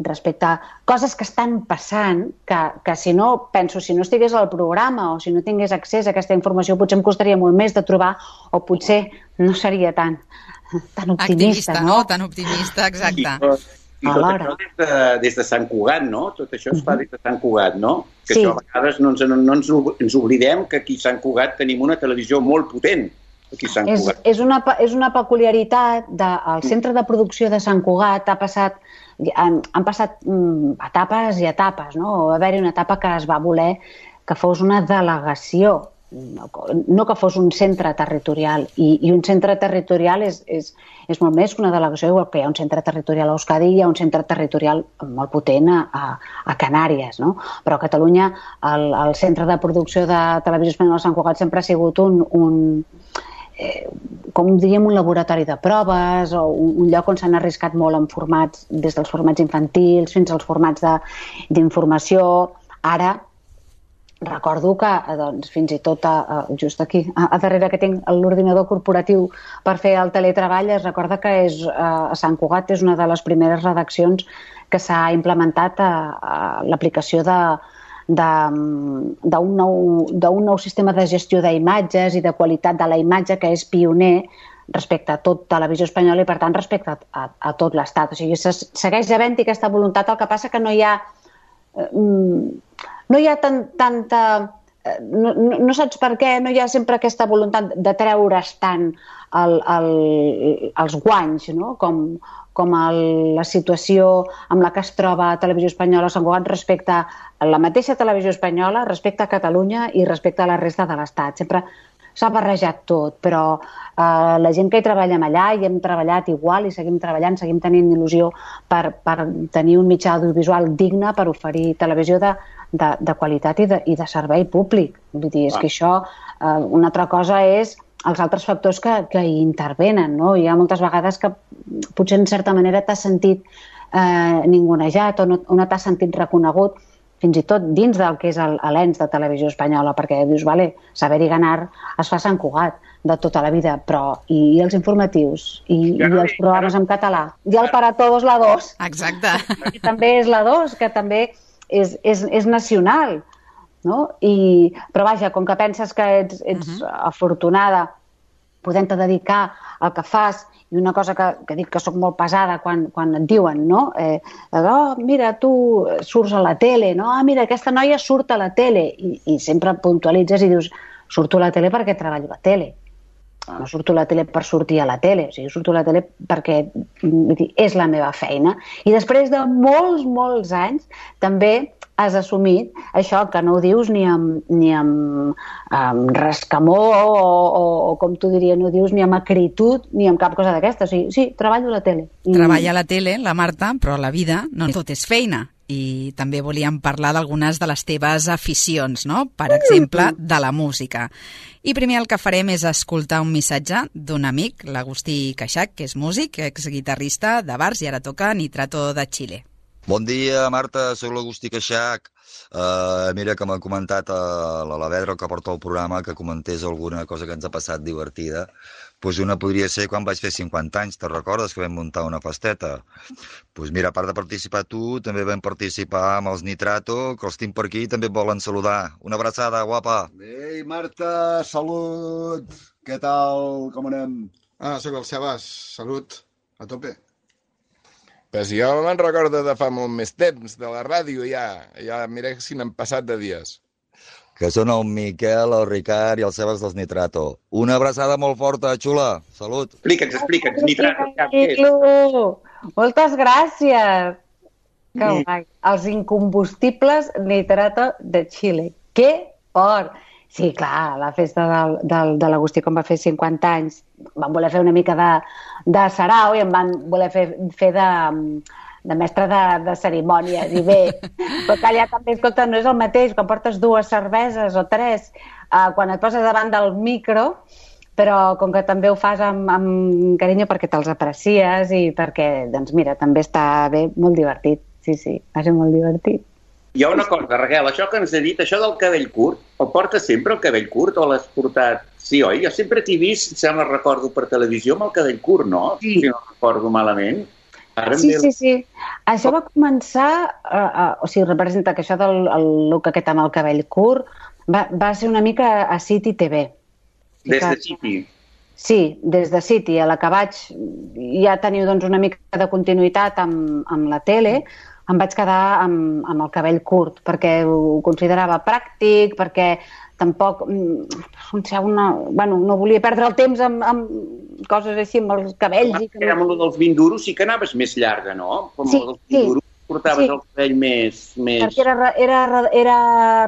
Speaker 5: respecte a coses que estan passant, que, que si no, penso, si no estigués al programa o si no tingués accés a aquesta informació, potser em costaria molt més de trobar o potser no seria tan, tan optimista,
Speaker 3: activista,
Speaker 5: no?
Speaker 3: no? Tan optimista, exacte.
Speaker 4: I, i tot això des de, des de Sant Cugat, no? Tot això es fa des de Sant Cugat, no? Que
Speaker 5: sí.
Speaker 4: Això a vegades no, ens, no ens, ens oblidem que aquí a Sant Cugat tenim una televisió molt potent. Aquí a Sant
Speaker 5: és,
Speaker 4: Cugat.
Speaker 5: És, una, és una peculiaritat del centre de producció de Sant Cugat. Ha passat, han, han passat mm, etapes i etapes, no? Va haver-hi una etapa que es va voler que fos una delegació, no, no que fos un centre territorial. I, i un centre territorial és, és, és molt més que una delegació, igual que hi ha un centre territorial a Euskadi i hi ha un centre territorial molt potent a, a, a Canàries, no? Però a Catalunya el, el centre de producció de Televisió Espanyola de Sant Cugat sempre ha sigut un... un Eh, com diríem, un laboratori de proves o un, un lloc on s'han arriscat molt en formats, des dels formats infantils fins als formats d'informació. Ara recordo que doncs, fins i tot a, a, just aquí, a, a darrere que tinc l'ordinador corporatiu per fer el teletreball, es recorda que és, a, a Sant Cugat és una de les primeres redaccions que s'ha implementat a, a l'aplicació de d'un nou, nou sistema de gestió d'imatges i de qualitat de la imatge que és pioner respecte a tot Televisió Espanyola i, per tant, respecte a, a, a tot l'Estat. O sigui, segueix havent-hi aquesta voluntat, el que passa que no hi ha no hi ha tant, tanta... No, no, no saps per què, no hi ha sempre aquesta voluntat de treure's tant el, el, els guanys, no? com, com el, la situació amb la que es troba a Televisió Espanyola a Sant Cugat respecte a la mateixa Televisió Espanyola, respecte a Catalunya i respecte a la resta de l'Estat. Sempre s'ha barrejat tot, però eh, la gent que hi treballem allà i hem treballat igual i seguim treballant, seguim tenint il·lusió per, per tenir un mitjà audiovisual digne per oferir televisió de, de, de qualitat i de, i de servei públic. Vull dir, és ah. que això, eh, una altra cosa és els altres factors que, que hi intervenen, no? Hi ha moltes vegades que potser en certa manera t'has sentit eh, ningunejat o no, o no t'has sentit reconegut, fins i tot dins del que és l'ens de Televisió Espanyola, perquè dius, vale, Saber i Ganar es fa a Sant Cugat de tota la vida, però i, i els informatius, i, i els programes en català, i el Para Todos la dos.
Speaker 3: Exacte.
Speaker 5: Que també és la dos, que també és, és, és nacional, no? I, però vaja, com que penses que ets, ets uh-huh. afortunada podent-te dedicar al que fas, i una cosa que, que dic que sóc molt pesada quan, quan et diuen, no? Eh, oh, mira, tu surts a la tele, no? Ah, mira, aquesta noia surt a la tele, i, i sempre puntualitzes i dius, surto a la tele perquè treballo a la tele. No surto a la tele per sortir a la tele, o sigui, surto a la tele perquè vull dir, és la meva feina. I després de molts, molts anys, també has assumit això, que no ho dius ni amb, ni amb, amb rescamor o, o, o, com tu diries, no ho dius ni amb acritud ni amb cap cosa d'aquesta. O sigui, sí, treballo a la tele. I...
Speaker 3: Treballa a la tele, la Marta, però la vida no tot és feina. I també volíem parlar d'algunes de les teves aficions, no? Per exemple, de la música. I primer el que farem és escoltar un missatge d'un amic, l'Agustí Queixac, que és músic, exguitarrista de bars i ara toca Nitrato de Xile.
Speaker 7: Bon dia, Marta, soc l'Agustí Queixac. Uh, mira que m'ha comentat a la Lavedra, que porta el programa, que comentés alguna cosa que ens ha passat divertida. Pues una podria ser quan vaig fer cinquanta anys, te'n recordes que vam muntar una festeta? Pues mira, a part de participar tu, també vam participar amb els Nitrato, que els tinc per aquí i també et volen saludar. Una abraçada, guapa.
Speaker 8: Ei, Marta, salut. Què tal, com anem?
Speaker 9: Ah, sóc el Sebas, salut, a tope. Pues jo me'n recordo de fa molt més temps, de la ràdio ja, ja mira si n'han passat de dies.
Speaker 7: Que són el Miquel, el Ricard i el Sebas dels Nitrato. Una abraçada molt forta, xula. Salut.
Speaker 4: Explica'ns, explica'ns, Nitrato. Què és?
Speaker 5: Moltes gràcies. Que guai. Els incombustibles Nitrato de Xile. Que fort. Sí, clar, la festa del, del, de l'Agustí, quan va fer cinquanta anys, van voler fer una mica de, de sarau i em van voler fer, fer de, de mestre de, de cerimònies. I bé, però que allà també, escolta, no és el mateix, quan portes dues cerveses o tres, eh, quan et poses davant del micro, però com que també ho fas amb, amb carinyo perquè te'ls aprecies i perquè, doncs mira, també està bé, molt divertit. Sí, sí, va ser molt divertit.
Speaker 4: Hi ha una cosa, Raquel, això que ens ha dit, això del cabell curt, el portes sempre el cabell curt o l'has portat? Sí, oi? Jo sempre t'he vist, si me'n recordo per televisió, amb el cabell curt, no? Sí. Si no recordo malament. Ara
Speaker 5: sí, sí, sí. Això va començar, uh, uh, o sigui, representa que això del el look aquest amb el cabell curt va, va ser una mica a City T V.
Speaker 4: Des de City?
Speaker 5: Sí, des de City, a la que vaig ja teniu doncs, una mica de continuïtat amb, amb la tele, em vaig quedar amb, amb el cabell curt, perquè ho considerava pràctic, perquè tampoc una, bueno, no volia perdre el temps amb, amb coses així, amb els cabells.
Speaker 4: I que... Amb el dels vint duros sí que anaves més llarga, no? Com
Speaker 5: sí,
Speaker 4: el dels vint duros
Speaker 5: sí,
Speaker 4: portaves
Speaker 5: sí.
Speaker 4: el cabell més... més...
Speaker 5: Perquè era, era, era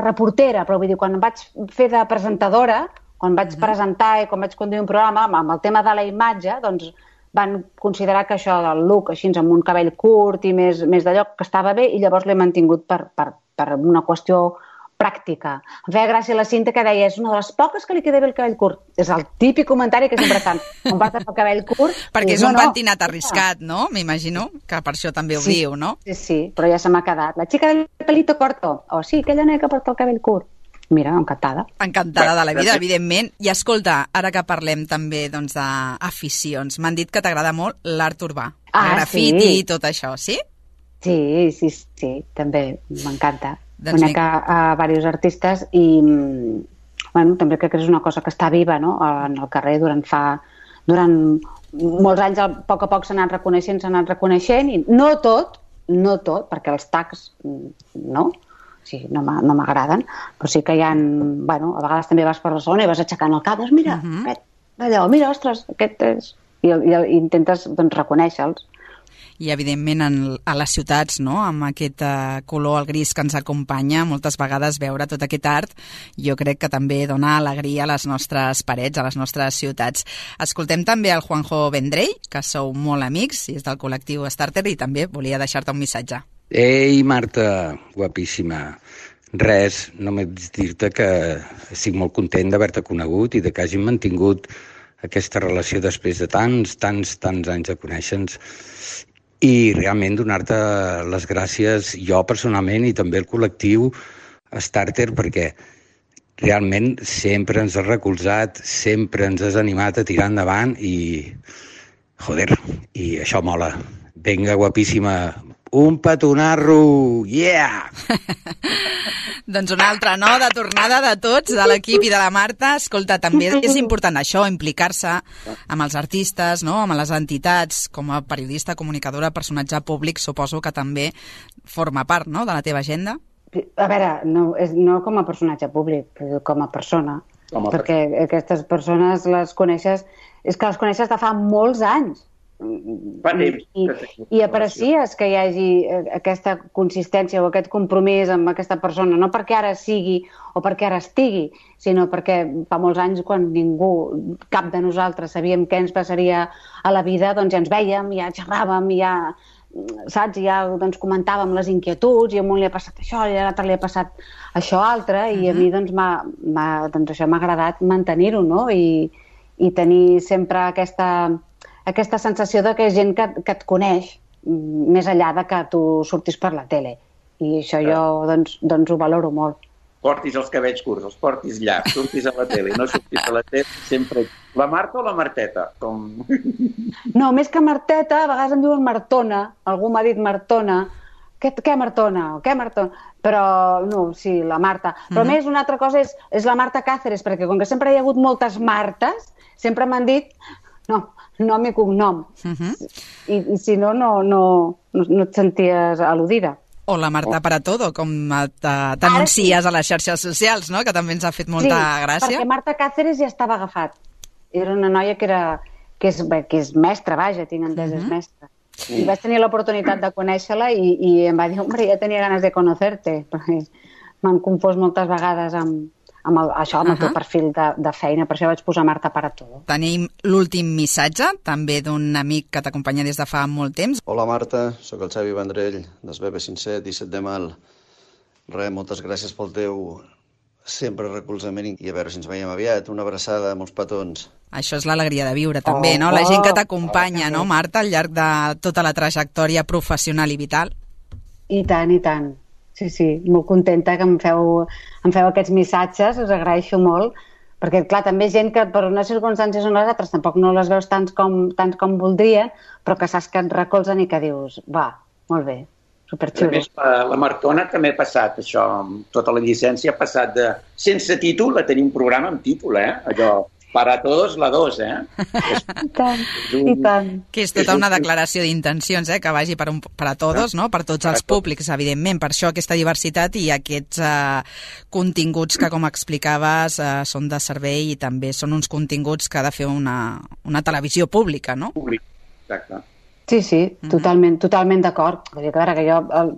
Speaker 5: reportera, però vull dir, quan em vaig fer de presentadora, quan vaig mm-hmm. presentar i quan vaig conduir un programa amb el tema de la imatge, doncs van considerar que això del look, així amb un cabell curt i més, més d'allò, que estava bé, i llavors l'he mantingut per, per, per una qüestió pràctica. Em feia gràcia la Cinta que deia, és una de les poques que li queda bé el cabell curt. És el típic comentari que sempre fan, quan portes el cabell curt...
Speaker 3: Perquè
Speaker 5: és,
Speaker 3: és un
Speaker 5: no,
Speaker 3: pentinat no, arriscat, no? M'imagino que per això també ho
Speaker 5: sí,
Speaker 3: diu, no?
Speaker 5: Sí, sí, però ja se m'ha quedat. La xica del pelito corto. O oh, sí, aquella noia que porta el cabell curt. Mira, encantada.
Speaker 3: Encantada de la vida, evidentment. I escolta, ara que parlem també doncs, d'aficions, m'han dit que t'agrada molt l'art urbà, ah, el grafiti i sí. tot això, sí?
Speaker 5: Sí, sí, sí, també m'encanta.
Speaker 3: Doncs
Speaker 5: Conec a, a diversos artistes i bueno, també crec que és una cosa que està viva, no? En el carrer durant fa... Durant molts anys, a poc a poc s'han anat reconeixent, s'han anat reconeixent, i no tot, no tot, perquè els tags, no? Sí, no m'agraden, però sí que hi ha... Bueno, a vegades també vas per la zona i vas aixecant el cap, doncs mira, uh-huh. aquest, allò, mira, ostres, aquest és... I, i, i intentes doncs, reconèixer-los.
Speaker 3: I, evidentment, en, a les ciutats, no?, amb aquest uh, color, el gris que ens acompanya, moltes vegades veure tot aquest art, jo crec que també dona alegria a les nostres parets, a les nostres ciutats. Escoltem també el Juanjo Vendrell, que sou molt amics, i és del col·lectiu Starter, i també volia deixar-te un missatge.
Speaker 10: Ei, Marta, guapíssima. Res, només dir-te que estic molt content d'haver-te conegut i de que hàgim mantingut aquesta relació després de tants, tants, tants anys de conèixer-nos i realment donar-te les gràcies jo personalment i també el col·lectiu Starter perquè realment sempre ens has recolzat, sempre ens has animat a tirar endavant i, joder, i això mola. Vinga, guapíssima, un petonarro, yeah!
Speaker 3: Doncs una altra, no?, de tornada de tots, de l'equip i de la Marta. Escolta, també és important això, implicar-se amb els artistes, no?, amb les entitats, com a periodista, comunicadora, personatge públic, suposo que també forma part, no?, de la teva agenda.
Speaker 5: A veure, no, és, no com a personatge públic, però com a persona, com a perquè persona. Aquestes persones les coneixes, és que les coneixes de fa molts anys. I, i, i aprecies que hi hagi aquesta consistència o aquest compromís amb aquesta persona, no perquè ara sigui o perquè ara estigui, sinó perquè fa molts anys, quan ningú, cap de nosaltres sabíem què ens passaria a la vida, doncs ja ens vèiem, ja xerràvem, ja, saps, ja doncs, comentàvem les inquietuds, i a un li ha passat això, i a l'altre li ha passat això altre, i a mi doncs, m'ha, m'ha, doncs això m'ha agradat mantenir-ho, no? I, i tenir sempre aquesta... aquesta sensació de que és gent que, que et coneix més enllà de que tu surtis per la tele. I això jo doncs, doncs ho valoro molt.
Speaker 4: Portis els cabells curts, els portis llargs, surtis a la tele, no surtis a la tele, sempre... La Marta o la Marteta? Com...
Speaker 5: No, més que Marteta, a vegades em diuen Martona, algú m'ha dit Martona. Què, què Martona? Què Martona? Però, no, sí, la Marta. Però mm-hmm. més una altra cosa és, és la Marta Cáceres, perquè com que sempre hi ha hagut moltes Martes, sempre m'han dit... No, nom i cognom. Uh-huh. I, I si no, no, no, no et senties al·ludida.
Speaker 3: O la Marta para todo, com t'anuncies sí. a les xarxes socials, no? Que també ens ha fet molta
Speaker 5: sí,
Speaker 3: gràcia.
Speaker 5: Sí, perquè Marta Cáceres ja estava agafat. Era una noia que, era, que, és, que és mestra, vaja, tinc entès, uh-huh. és mestra. I vaig tenir l'oportunitat de conèixer-la i, i em va dir, hombre, ja tenia ganes de conocerte, perquè m'han confós moltes vegades amb... amb el, això, amb uh-huh. el teu perfil de, de feina, per això vaig posar Marta para todo.
Speaker 3: Tenim l'últim missatge, també d'un amic que t'acompanya des de fa molt temps.
Speaker 11: Hola Marta, sóc el Xavi Vendrell, dels B B cinc set, disset de mal. Res, moltes gràcies pel teu sempre recolzament i a veure si ens veiem aviat. Una abraçada, molts petons.
Speaker 3: Això és l'alegria de viure, també, oh, no? La gent que t'acompanya, oh, no, Marta, al llarg de tota la trajectòria professional i vital.
Speaker 5: I tant, i tant. Sí, sí, molt contenta que em feu, em feu aquests missatges, us agraeixo molt, perquè, clar, també gent que per unes circumstàncies o les altres tampoc no les veus tants com, tants com voldrien, però que saps que et recolzen i que dius, va, molt bé, superxulo.
Speaker 4: A més, la Martona també ha passat això, tota la llicència ha passat de sense títol a tenir un programa amb títol, eh? Allò... Para todos, la dos, eh?
Speaker 5: I tant, i tant.
Speaker 3: Que és tota una declaració d'intencions, eh? Que vagi per, un, per a tots, no? Per tots els públics, evidentment. Per això aquesta diversitat i aquests eh, continguts que, com explicaves, eh, són de servei i també són uns continguts que ha de fer una, una televisió pública, no?
Speaker 4: Públic, exacte.
Speaker 5: Sí, sí, totalment, totalment d'acord. Vull dir que, que jo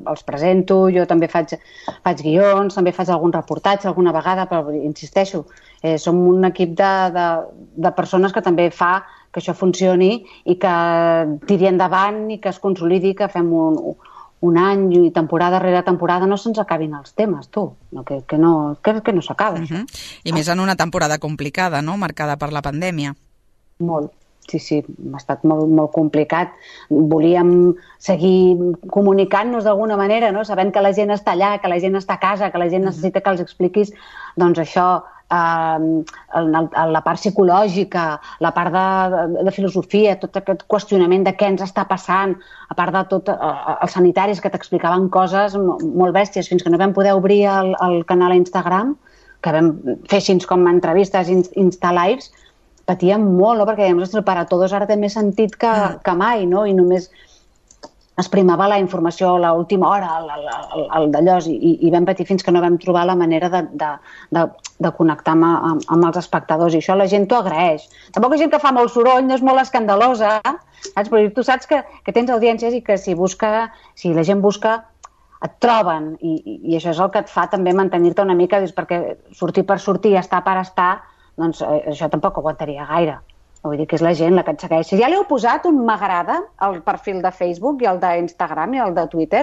Speaker 5: els presento, jo també faig, faig guions, també faig algun reportatge alguna vegada, però insisteixo, eh, som un equip de, de, de persones que també fa que això funcioni i que tiri endavant i que es consolidi, que fem un, un any i temporada rere temporada no se'ns acabin els temes, tu, no, que, que no, que, que no s'acaba.
Speaker 3: Uh-huh. I més en una temporada complicada, no?, marcada per la pandèmia.
Speaker 5: Molt. Sí, sí, ha estat molt, molt complicat. Volíem seguir comunicant-nos d'alguna manera, no? Sabent que la gent està allà, que la gent està a casa, que la gent necessita que els expliquis, doncs això, eh, la part psicològica, la part de, de filosofia, tot aquest qüestionament de què ens està passant, a part de tot, eh, els sanitaris que t'explicaven coses molt bèsties, fins que no vam poder obrir el, el canal a Instagram, que vam fer així com entrevistes, Insta-lives, patíem molt, no? Perquè dèiem, ostres, per a tots ara té més sentit que, que mai, no? I només es primava la informació a l'última hora, el, el, el d'allò, i, i vam patir fins que no vam trobar la manera de, de, de, de connectar amb, amb els espectadors, i això la gent t'ho agraeix. Tampoc és gent que fa molt soroll, no és molt escandalosa, saps? Però tu saps que, que tens audiències i que si busca, si la gent busca, et troben, i, i això és el que et fa també mantenir-te una mica, dius, perquè sortir per sortir, estar per estar, doncs això tampoc aguantaria gaire. Vull dir que és la gent la que et segueix. Si ja li heu posat un m'agrada al perfil de Facebook i al d'Instagram i al de Twitter,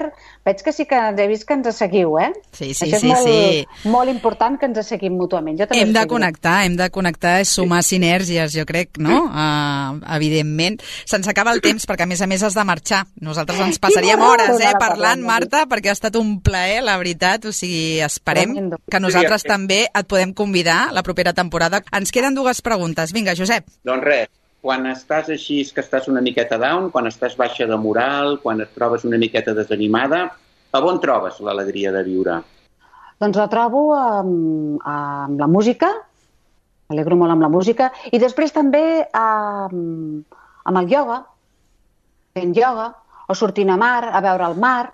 Speaker 5: veig que sí que he vist que ens seguiu, eh?
Speaker 3: Sí, sí,
Speaker 5: això és
Speaker 3: sí,
Speaker 5: molt,
Speaker 3: sí.
Speaker 5: molt important que ens seguim mútuament. Jo també
Speaker 3: hem de connectar, hem de connectar, sumar sí. sinergies, jo crec, no? Uh, evidentment. Se'ns acaba el temps perquè, a més a més, has de marxar. Nosaltres ens passaríem hores, eh, parlant, Marta, perquè ha estat un plaer, la veritat. O sigui, esperem que nosaltres també et podem convidar la propera temporada. Ens queden dues preguntes. Vinga, Josep.
Speaker 4: Doncs res, quan estàs així, que estàs una miqueta down, quan estàs baixa de moral, quan et trobes una miqueta desanimada, a on trobes l'alegria de viure?
Speaker 5: Doncs la trobo amb, amb la música, m'alegro molt amb la música, i després també amb, amb el ioga, fent ioga, o sortint a mar, a veure el mar.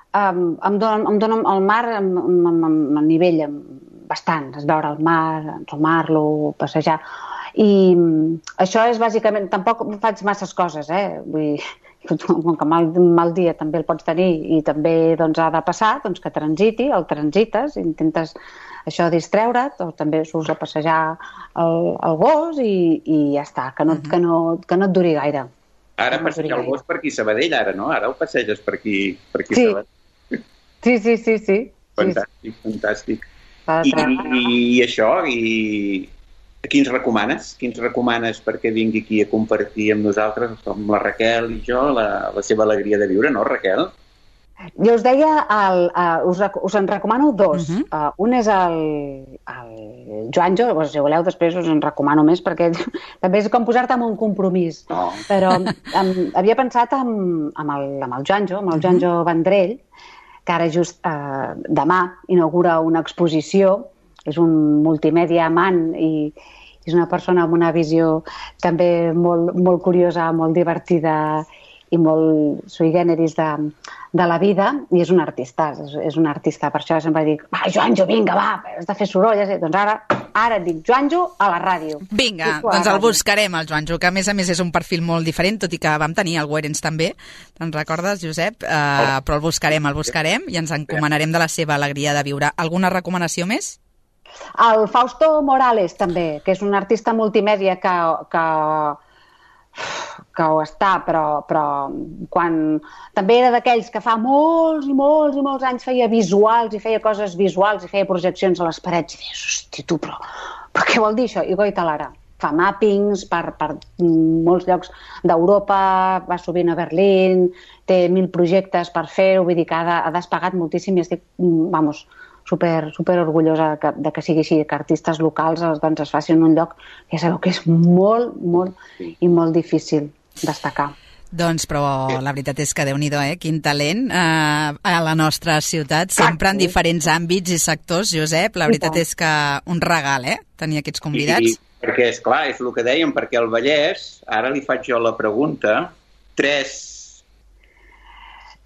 Speaker 5: Um, em, dona, em dona el mar amb, amb, amb, amb nivell bastant, és veure el mar, ensumar-lo, passejar. I això és bàsicament... Tampoc faig masses coses, eh? Vull dir, com que mal, mal dia també el pots tenir i també doncs, ha de passar, doncs que transiti, el transites, intentes això distreure't, o també surts a passejar el, el gos i, i ja està, que no, uh-huh. que, no, que no et duri gaire.
Speaker 4: Ara
Speaker 5: no
Speaker 4: passeja el gos per aquí Sabadell, ara, no? Ara el passeges per aquí, per aquí
Speaker 5: sí.
Speaker 4: Sabadell.
Speaker 5: Sí, sí, sí, sí.
Speaker 4: Fantàstic, sí. fantàstic. I, i, I això, i quins recomanes? Quins recomanes perquè vingui aquí a compartir amb nosaltres, amb la Raquel i jo, la, la seva alegria de viure, no, Raquel?
Speaker 5: Jo us deia, el, uh, us, us en recomano dos. Uh-huh. uh, un és el, el Joanjo, doncs, si voleu després us en recomano més, perquè també és com posar-te en un compromís.
Speaker 4: No.
Speaker 5: Però um, havia pensat amb, amb, el, amb el Joanjo, amb el Joanjo uh-huh. Vendrell, que ara just uh, demà inaugura una exposició, és un multimèdia amant i és una persona amb una visió també molt, molt curiosa, molt divertida i molt sui generis de, de la vida, i és un artista, és, és un artista, per això sempre dic, va, Joanjo, vinga, va, has de fer soroll, doncs ara, ara et dic Joanjo a la ràdio.
Speaker 3: Vinga, doncs el buscarem, el Joanjo, que a més a més és un perfil molt diferent, tot i que vam tenir el Werens també, te'n recordes, Josep? Uh, però el buscarem, el buscarem, i ens encomanarem de la seva alegria de viure. Alguna recomanació més?
Speaker 5: El Fausto Morales, també, que és un artista multimèdia que... que que ho està, però, però quan també era d'aquells que fa molts i molts i molts anys feia visuals i feia coses visuals i feia projeccions a les parets i deies, hosti, tu, però, però què vol dir això? I goita l'ara. Fa mappings per, per molts llocs d'Europa, va sovint a Berlín, té mil projectes per fer-ho, vull dir que ha, ha despegat moltíssim i estic, vamos, super, super orgullosa que, de que sigui així, que artistes locals doncs, es facin un lloc que ja sabeu que és molt, molt i molt difícil destacar.
Speaker 3: Doncs, però la veritat és que Déu-n'hi-do, eh? Quin talent eh, a la nostra ciutat, sempre en diferents àmbits i sectors, Josep. La veritat és que un regal, eh? Tenir aquests convidats.
Speaker 4: I, perquè, esclar, és el que dèiem, perquè el Vallès, ara li faig jo la pregunta, tres...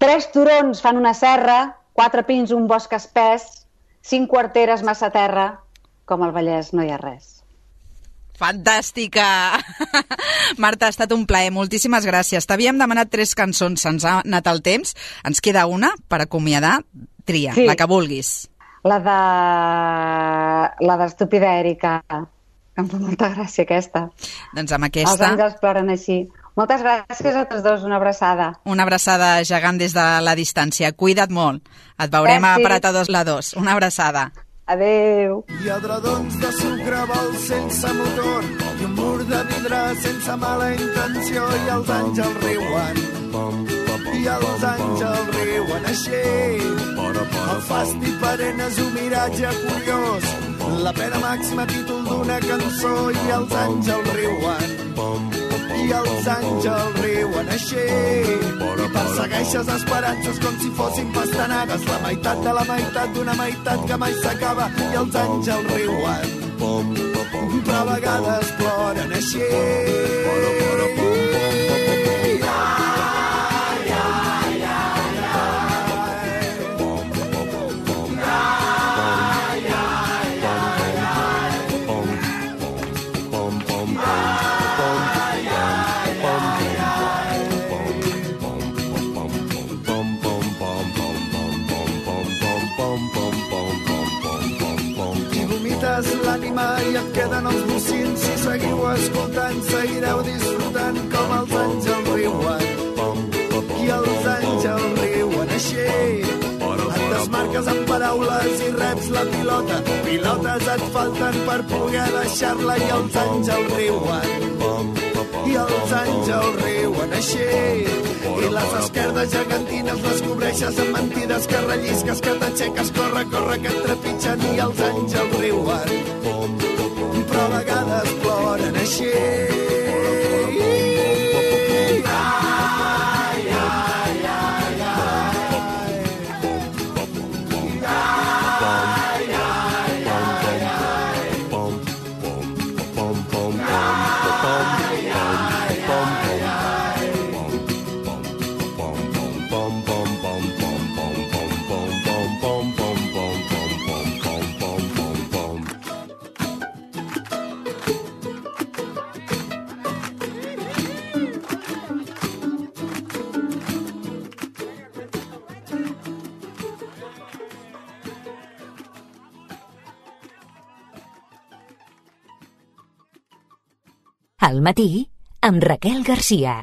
Speaker 5: Tres turons fan una serra, quatre pins, un bosc espès, cinc quarteres massa terra, com al Vallès no hi ha res.
Speaker 3: Fantàstica! Marta, ha estat un plaer, moltíssimes gràcies. T'havíem demanat tres cançons, se'ns ha anat el temps, ens queda una per acomiadar, tria, sí. La que vulguis.
Speaker 5: La de... la d'Estúpida Èrica, em fa molta gràcia aquesta.
Speaker 3: Doncs amb aquesta...
Speaker 5: Els àngels ploren així. Moltes gràcies a tots dos, una abraçada.
Speaker 3: Una abraçada gegant des de la distància. Cuida't molt. Et veurem Gràcies. A Parat a dos la dos. Una abraçada.
Speaker 5: Adéu.
Speaker 12: Hi ha dredons de sucre, vols sense motor, i un mur de vidre sense mala intenció, i els àngels riuen, i els àngels riuen així. El fàstic perenne és un miratge curiós, la pena màxima títol d'una cançó, i els àngels riuen, i els àngels riuen així. I persegueixes esperances com si fossin pastanagues, la meitat de la meitat d'una meitat que mai s'acaba, i els àngels riuen, però a vegades ploren així. L'ànima i et queden els bocins, si seguiu escoltant seguireu disfrutant com els àngels riuen, i els àngels riuen així. Et desmarques amb paraules i reps la pilota, pilotes et falten per poder deixar-la, i els àngels riuen, i els àngels riuen així. I les esquerdes gegantines les cobreixes amb mentides que rellisques, que t'aixeques, corre, corre, que et trepitgen, i els àngels riuen, però a vegades ploren així. Ai, ai, ai, ai.
Speaker 1: Al matí, amb Raquel Garcia.